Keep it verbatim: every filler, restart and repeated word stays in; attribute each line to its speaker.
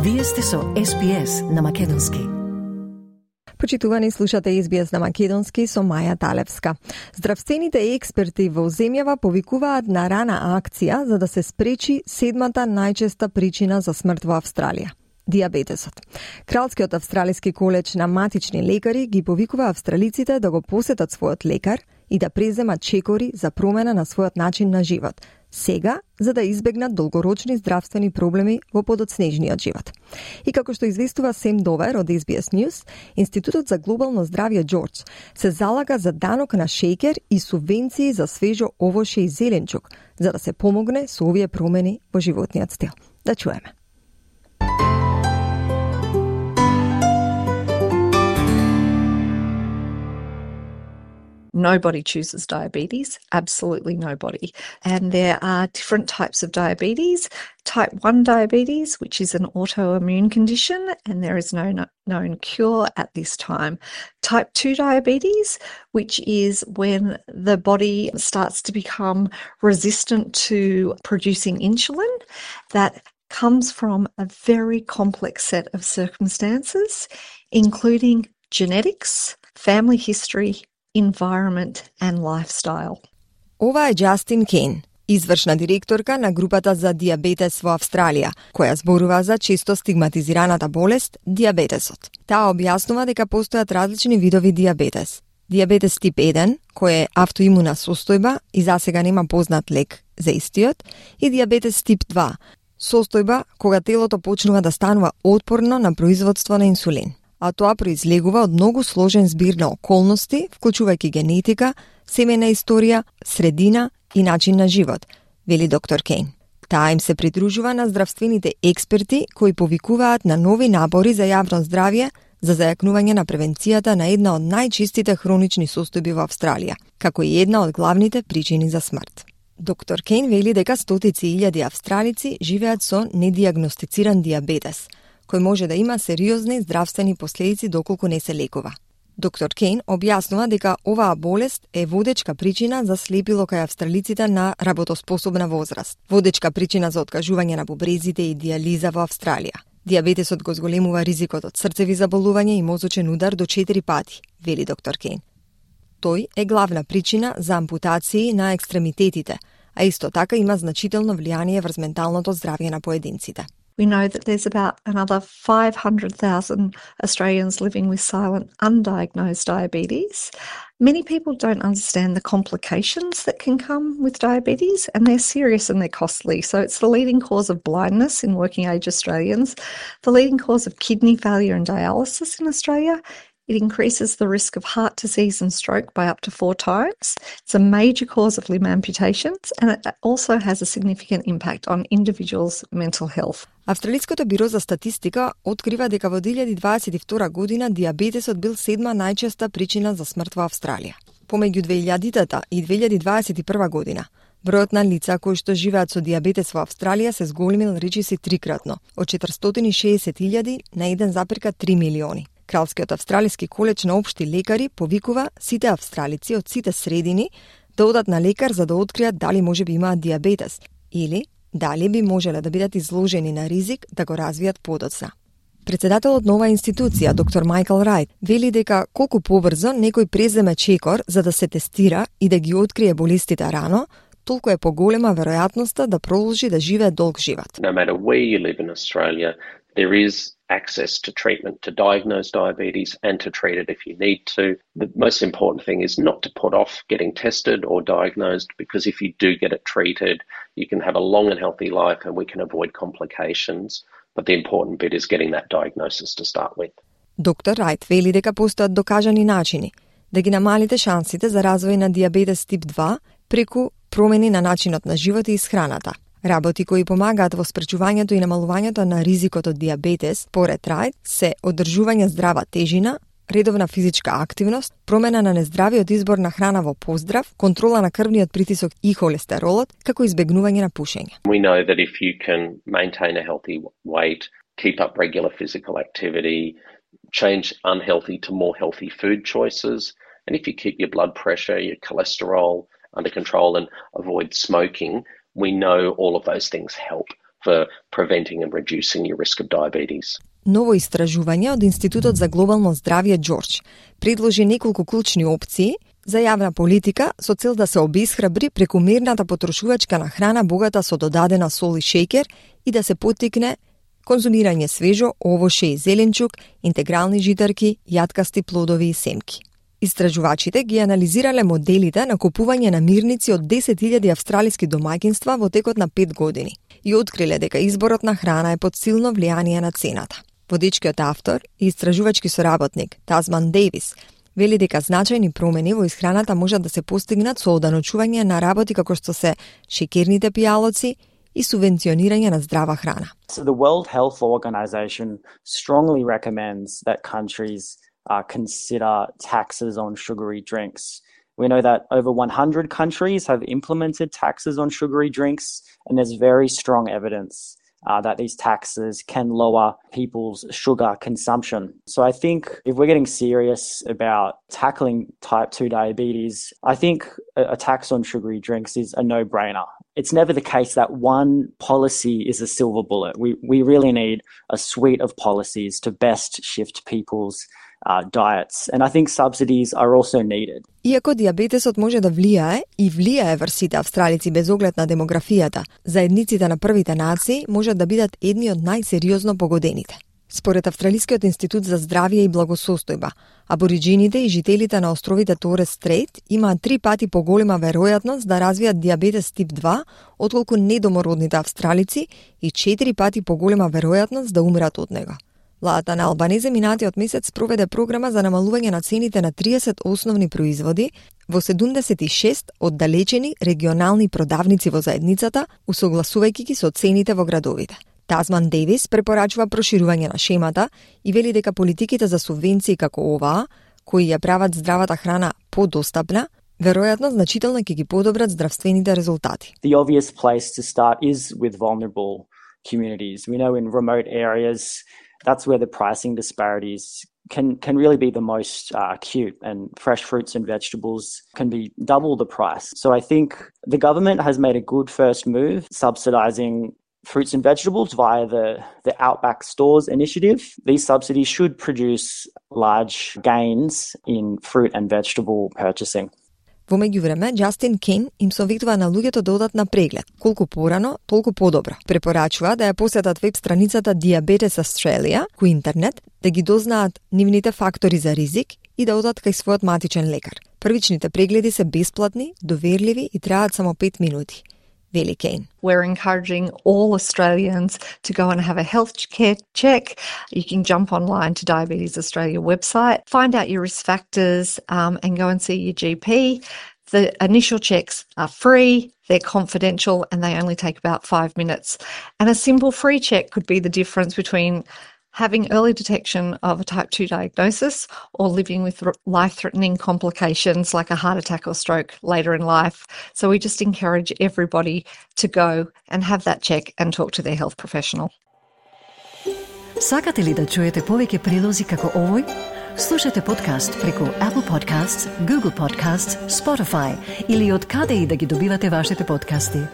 Speaker 1: Вие сте со Ес Би Ес на Македонски.
Speaker 2: Почитувани, слушате Ес Би Ес на Македонски со Маја Талевска. Здравствените експерти во земјава повикуваат на рана акција за да се спречи седмата најчеста причина за смрт во Австралија – дијабетесот. Кралскиот австралиски колеж на матични лекари ги повикува австралиците да го посетат својот лекар и да преземат чекори за промена на својот начин на живот, сега за да избегнат долгорочни здравствени проблеми во подоцнежниот живот. И како што известува Сем Довер од Ес Би Ес News, Институтот за глобално здравје Џорџ се залага за данок на шеќер и субвенции за свежо овоше и зеленчук, за да се помогне со овие промени во животниот стил. Да чуеме.
Speaker 3: Nobody chooses diabetes, absolutely nobody. And there are different types of diabetes. Type one diabetes, which is an autoimmune condition, and there is no known cure at this time. Type two diabetes, which is when the body starts to become resistant to producing insulin, that comes from a very complex set of circumstances, including genetics, family history, environment and lifestyle.
Speaker 2: Ова е Џастин Кейн, извршна директорка на групата за дијабетес во Австралија, која зборува за често стигматизираната болест дијабетесот. Таа објаснува дека постојат различни видови дијабетес. Дијабетес тип еден, кој е автоимуна состојба и засега нема познат лек за истиот, и дијабетес тип два, состојба кога телото почнува да станува отпорно на производство на инсулин. А тоа произлегува од многу сложен збир на околности, вклучувајќи генетика, семејна историја, средина и начин на живот, вели доктор Кейн. Таа им се придружува на здравствените експерти кои повикуваат на нови напори за јавно здравје за зајакнување на превенцијата на една од најчистите хронични состојби во Австралија, како и една од главните причини за смрт. Доктор Кейн вели дека стотици илјади австралици живеат со недијагностициран дијабетес, кој може да има сериозни здравствени последици доколку не се лекува. Доктор Кейн објаснува дека оваа болест е водечка причина за слепило кај австралиците на работоспособна возраст, водечка причина за откажување на бубрезите и дијализа во Австралија. Дијабетесот го зголемува ризикот од срцеви заболувања и мозочен удар до четири пати, вели доктор Кейн. Тој е главна причина за ампутации на екстремитетите, а исто така има значително влијание врз менталното здравје на поединците.
Speaker 3: We know that there's about another five hundred thousand Australians living with silent undiagnosed diabetes. Many people don't understand the complications that can come with diabetes, and they're serious and they're costly. So it's the leading cause of blindness in working age Australians, the leading cause of kidney failure and dialysis in Australia. It increases the risk of heart disease and stroke by up to four times. It's a major cause of limb amputations, and it also has a significant impact on individuals' mental health.
Speaker 2: Австралиското биро за статистика открива дека во две илјади дваесет и втора година дијабетесот бил седма најчеста причина за смрт во Австралија. Помеѓу две илјадитата и две илјади дваесет и прва година, бројот на лица кои што живеат со дијабетес во Австралија се зголемил речиси трикратно, од четиристотини и шеесет илјади на еден запирка три милиони. Кралскиот австралиски колеж на општи лекари повикува сите австралици од сите средини да одат на лекар за да откријат дали можеби имаат дијабетес или дали би можеле да бидат изложени на ризик да го развијат подоцна. Председателот на оваа институција, доктор Майкл Рајт, вели дека колку побрзо некој преземе чекор за да се тестира и да ги открие болестите рано, толку е поголема веројатноста да продолжи да живее долг живот.
Speaker 4: No matter where you live in Australia, there is access to treatment to diagnose diabetes and to treat it if you need to. The most important thing is not to put off getting tested or diagnosed, because if you do get it treated, you can have a long and healthy life and we can avoid complications. But the important bit is getting that diagnosis to start with.
Speaker 2: Доктор Рајт вели дека постојат докажани начини да ги намалите шансите за развој на дијабетес тип два преку промени на начинот на живот и исхраната. Работи кои помагаат во спречувањето и намалувањето на ризикот од дијабетес, поред Рајт, се одржување здрава тежина, редовна физичка активност, промена на нездравиот избор на храна во поздрав, контрола на крвниот притисок и холестеролот, како избегнување на пушење.
Speaker 4: We know that if you can maintain a healthy weight, keep up regular physical activity, change unhealthy to more healthy food choices, and if you keep your blood pressure, your cholesterol under control and avoid smoking, we know all of those things help for preventing and reducing your risk of diabetes.
Speaker 2: Ново истражување од Институтот за глобално здравје Џорџ предложи неколку клучни опции за јавна политика со цел да се обесхрабри прекомерната потрошувачка на храна богата со додадена сол и шеќер и да се поттикне конзумирање свежо овоше и зеленчук, интегрални житарки, јаткасти плодови и семки. Истражувачите ги анализирале моделите на купување намирници од десет илјади австралиски домаќинства во текот на пет години и откриле дека изборот на храна е под силно влијание на цената. Водечкиот автор и истражувачки соработник Тазман Дейвис вели дека значајни промени во исхраната можат да се постигнат со оданочување на работи како што се шеќерните пијалоци и субвенционирање на здрава храна.
Speaker 5: So the World Health Organization strongly recommends that countries uh, consider taxes on sugary drinks. We know that over one hundred countries have implemented taxes on sugary drinks, and there's very strong evidence uh, that these taxes can lower people's sugar consumption. So I think if we're getting serious about tackling type two diabetes, I think a, a tax on sugary drinks is a no-brainer. It's never the case that one policy is a silver bullet. We we really need a suite of policies to best shift people's uh, diets. And I think subsidies are also needed.
Speaker 2: Иако дијабетесот може да влијае и влијае врз сите австралици без оглед на демографијата, заедниците на првите нации можат да бидат едни од најсериозно погодените. Според Австралискиот институт за здравје и благосостојба, абориџините и жителите на островите Торес Стрейт имаат три пати поголема веројатност да развијат дијабетес тип два отколку недомородните австралици и четири пати поголема веројатност да умрат од него. Владата на Албанезе минатиот месец проведе програма за намалување на цените на триесет основни производи во седумдесет и шест оддалечени регионални продавници во заедницата, усогласувајќи ги со цените во градовите. Тазман Дейвис препорачува проширување на шемата и вели дека политиките за субвенции како оваа, кои ја прават здравата храна подостапна, веројатно значително ќе ги подобрат здравствените резултати.
Speaker 5: The obvious place to start is with vulnerable communities. We know in remote areas, that's where the pricing disparities can can really be the most uh, acute, and fresh fruits and vegetables can be double the price. So I think the government has made a good first move subsidising fruits and vegetables via the, the Outback Stores initiative. These subsidies should produce large gains in fruit and vegetable purchasing.
Speaker 2: Во меѓувреме, Џастин Кейн им советува на луѓето да одат на преглед. Колку порано, толку подобро. Препорачува да ја посетат веб страницата Diabetes Australia, кој интернет, да ги дознаат нивните фактори за ризик и да одат кај својот матичен лекар. Првичните прегледи се бесплатни, доверливи и траат само пет минути. Вели Кейн.
Speaker 3: We're encouraging all Australians to go and have a health care check. You can jump online to Diabetes Australia website, find out your risk factors um, and go and see your G P. The initial checks are free, they're confidential, and they only take about five minutes. And a simple free check could be the difference between having early detection of a type two diagnosis or living with life-threatening complications like a heart attack or stroke later in life. So we just encourage everybody to go and have that check and talk to their health professional.
Speaker 1: Сакате ли да чуете повеќе прилози како овој? Слушате подкаст преку Apple Podcasts, Google Podcasts, Spotify или од каде и да ги добивате вашите подкасти.